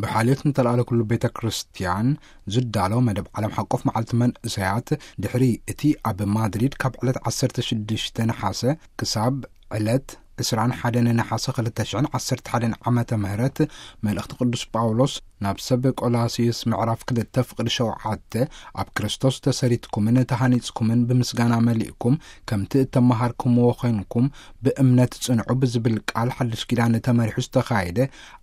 ብሓልዮት ንተላኣለ ኩሉ ቤተ ክርስቲያን ዝዳሎ መደብ ዓለም ሓቆፍ መዓልቲ መንእሰያት፣ ድሕሪ እቲ ኣብ ማድሪድ ካብ ዕለት ዓሰርተ ሽዱሽተ ነሓሰ ክሳብ ዕለት ዕስራን ሓደን ነሓሰ ክልተ ሽሕን ዓሰርተ ሓደን ዓመተ ምህረት፣ መልእኽቲ ቅዱስ ጳውሎስ ናብ ሰብ ቆላስዩስ ምዕራፍ ክልተ ፍቕዲ ሸውዓተ፣ ኣብ ክርስቶስ ተሰሪትኩምን ተሃኒጽኩምን ብምስጋና መሊእኩም፣ ከምቲ እተመሃርኩምዎ ኾይንኩም ብእምነት ጽንዑ ብዝብል ቃል ሓድሽ ኪዳን ተመሪሑ ዝተኻየደ፣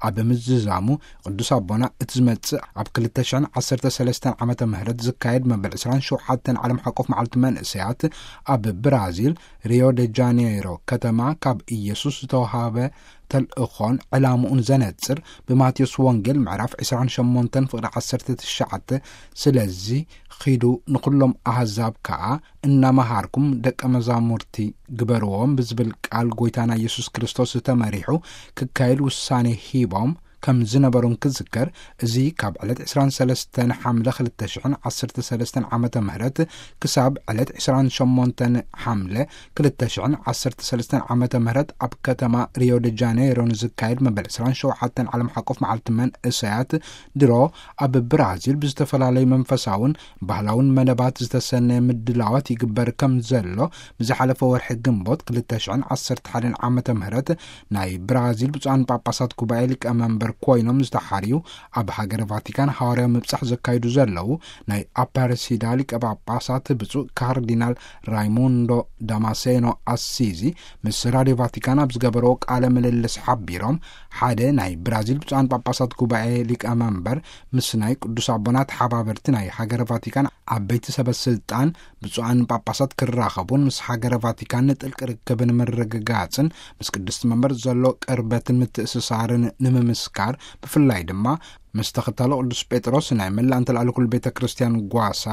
ኣብ ምዝዛሙ ቅዱስ ኣቦና እቲ ዝመጽእ ኣብ ክልተ ሽሕን ዓሰርተ ሰለስተን ዓመተ ምህረት ዝካየድ መበል ዕስራን ሸውዓተን ዓለም ሓቆፍ መዓልቲ መንእሰያት ኣብ ብራዚል ሪዮ ደ ጃኔይሮ ከተማ ካብ ኢየሱስ ዝተዋሃበ ተልእኾን ዕላምኡን ዘነጽር ብማቴዎስ ወንጌል ምዕራፍ ዕስራን ሸሞንተን ፍቕዲ ዓሰርተ ትሽዓተ፣ ስለዚ ኺዱ ንኹሎም ኣህዛብ ከኣ እናመሃርኩም ደቀ መዛሙርቲ ግበርዎም ብዝብል ቃል ጐይታና ኢየሱስ ክርስቶስ ተመሪሑ ክካየድ ውሳኔ ሂቦም ከም ዝነበሩን ክዝከር፣ እዚ ካብ ዕለት ዕስራን ሰለስተን ሓምለ ክልተ ሽሕን ዓሰርተ ሰለስተን ዓመተ ምህረት ክሳብ ዕለት ዕስራን ሸሞንተን ሓምለ ክልተ ሽሕን ዓሰርተ ሰለስተን ዓመተ ምህረት ኣብ ከተማ ሪዮ ደ ጃኔይሮ ንዝካየድ መበል ዕስራን ሸውዓተን ዓለም ሓቆፍ መዓልቲ መንእሰያት ድሮ ኣብ ብራዚል ብዝተፈላለዩ መንፈሳውን ባህላውን መደባት ዝተሰነየ ምድላዋት ይግበር ከም ዘሎ ብዝሓለፈ ወርሒ ግንቦት ክልተ ሽሕን ዓሰርተ ሓደን ዓመተ ምህረት ናይ ብራዚል ብፁዓን ጳጳሳት ጉባኤ ሊቀመንበር ኮይኖም ዝተሓርዩ ኣብ ሃገረ ቫቲካን ሃዋርያዊ ምብጻሕ ዘካይዱ ዘለዉ ናይ ኣፓረሲዳ ሊቀ ጳጳሳት ብፁዕ ካርዲናል ራይሙንዶ ዳማሴኖ ኣሲዚ ምስ ራድዮ ቫቲካን ኣብ ዝገበርዎ ቃለ ምልልስ ሓቢሮም፣ ሓደ ናይ ብራዚል ብፁዓን ጳጳሳት ጉባኤ ሊቀመንበር ምስ ናይ ቅዱስ ኣቦና ተሓባበርቲ ናይ ሃገረ ቫቲካን ዓበይቲ ሰበ ስልጣን ብፁዓን ጳጳሳት ክራኸቡን ምስ ሃገረ ቫቲካን ጥልቂ ርክብ ንምርግጋጽን ምስ ቅድስቲ መንበር ዘሎ ቅርበትን ምትእስሳርን ንምምስካር፣ ብፍላይ ድማ ምስ ተኸታሎ ቅዱስ ጴጥሮስ ናይ መላእ እንተልኣለ ኩሉ ቤተ ክርስቲያን ጓሳ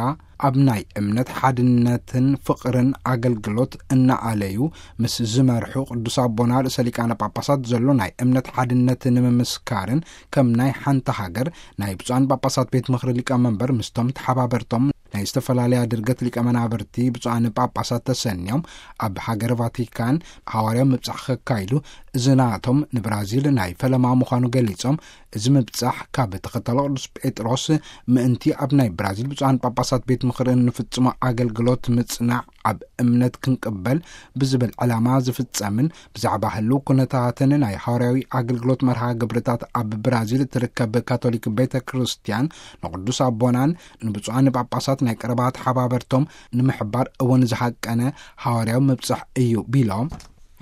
ኣብ ናይ እምነት ሓድነትን ፍቕርን ኣገልግሎት እናኣለዩ ምስ ዝመርሑ ቅዱስ ኣቦና ርእሰ ሊቃነ ጳጳሳት ዘሎ ናይ እምነት ሓድነት ንምምስካርን ከም ናይ ሓንቲ ሃገር ናይ ብፁዓን ጳጳሳት ቤት ምኽሪ ሊቀመንበር ምስቶም ተሓባበርቶም ናይ ዝተፈላለያ ድርገት ሊቀ መናብርቲ ብፁዓን ጳጳሳት ተሰንዮም ኣብ ሃገር ቫቲካን ሃዋርያዊ ምብጻሕ ከካይዱ፣ እዚ ናቶም ንብራዚል ናይ ፈለማ ምዃኑ ገሊጾም፣ እዚ ምብጻሕ ካብ ተኸታሎ ቅዱስ ጴጥሮስ ምእንቲ ኣብ ናይ ብራዚል ብፁዓን ጳጳሳት ቤት ምኽሪ እንፍጽሞ ኣገልግሎት ምጽናዕ ኣብ እምነት ክንቅበል ብዝብል ዕላማ ዝፍጸምን ብዛዕባ ህልው ኩነታትን ናይ ሃዋርያዊ ኣገልግሎት መርሃ ግብርታት ኣብ ብራዚል እትርከብ ካቶሊክ ቤተ ክርስቲያን ንቅዱስ ኣቦናን ንብፁዓን ጳጳሳት ናይ ቀረባ ተሓባበርቶም ንምሕባር እውን ዝሃቀነ ሃዋርያዊ ምብጻሕ እዩ ቢሎም፣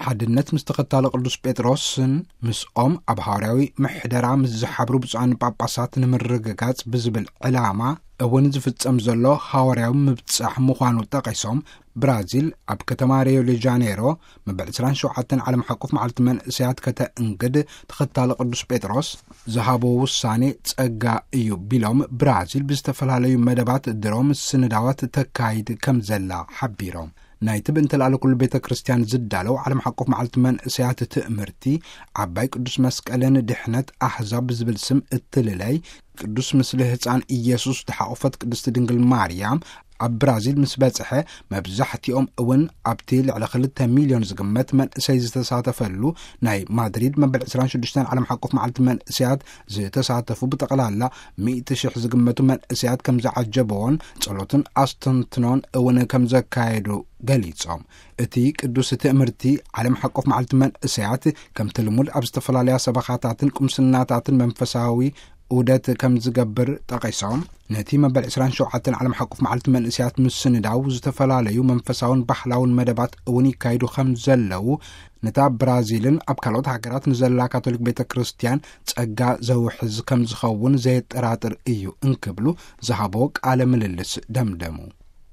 ሓድነት ምስ ተኸታሎ ቅዱስ ጴጥሮስን ምስኦም ኣብ ሃዋርያዊ ምሕደራ ምስ ዝሓብሩ ብፁዓን ጳጳሳት ንምርግጋጽ ብዝብል ዕላማ እውን ዝፍጸም ዘሎ ሃዋርያዊ ምብጻሕ ምዃኑ ጠቒሶም፣ ብራዚል ኣብ ከተማ ሪዮ ደ ጃኔሮ መበል ዕስራን ሸውዓተን ዓለም ሓቆፍ መዓልቲ መንእሰያት ከተእንግድ ተኸታሊ ቅዱስ ጴጥሮስ ዝሃቦ ውሳኔ ጸጋ እዩ ቢሎም፣ ብራዚል ብዝተፈላለዩ መደባት ድሮ ምስንዳዋት ተካይድ ከም ዘላ ሓቢሮም። ናይቲ ብእንተልኣለ ኩሉ ቤተ ክርስቲያን ዝዳለው ዓለም ሓቆፍ መዓልቲ መንእሰያት ትእምርቲ ዓባይ ቅዱስ መስቀልን ድሕነት ኣሕዛብ ብዝብል ስም እትልለይ ቅዱስ ምስሊ ህፃን ኢየሱስ ዝሓቆፈት ቅድስቲ ድንግል ማርያም ኣብ ብራዚል ምስ በጽሐ፣ መብዛሕትኦም እውን ኣብቲ ልዕሊ ክልተ ሚልዮን ዝግመት መንእሰይ ዝተሳተፈሉ ናይ ማድሪድ መበል ዕስራን ሽዱሽተን ዓለም ሓቆፍ መዓልቲ መንእሰያት ዝተሳተፉ ብጠቕላላ ሚእቲ ሽሕ ዝግመቱ መንእሰያት ከም ዝዓጀበዎን ጸሎትን ኣስተንትኖን እውን ከም ዘካየዱ ገሊጾም። እቲ ቅዱስ ትእምርቲ ዓለም ሓቆፍ መዓልቲ መንእሰያት ከምቲ ልሙድ ኣብ ዝተፈላለያ ሰበኻታትን ቁምስናታትን መንፈሳዊ ዑደት ከም ዝገብር ጠቒሶም፣ ነቲ መበል ዕስራን ሸውዓተን ዓለም ሓቆፍ መዓልቲ መንእሰያት ምስንዳው ዝተፈላለዩ መንፈሳውን ባህላውን መደባት እውን ይካየዱ ከም ዘለዉ፣ ነታ ብራዚልን ኣብ ካልኦት ሃገራት ንዘላ ካቶሊክ ቤተ ክርስቲያን ጸጋ ዘውሕዝ ከም ዝኸውን ዘየጠራጥር እዩ እንክብሉ ዝሃቦ ቃለ ምልልስ ደምደሙ።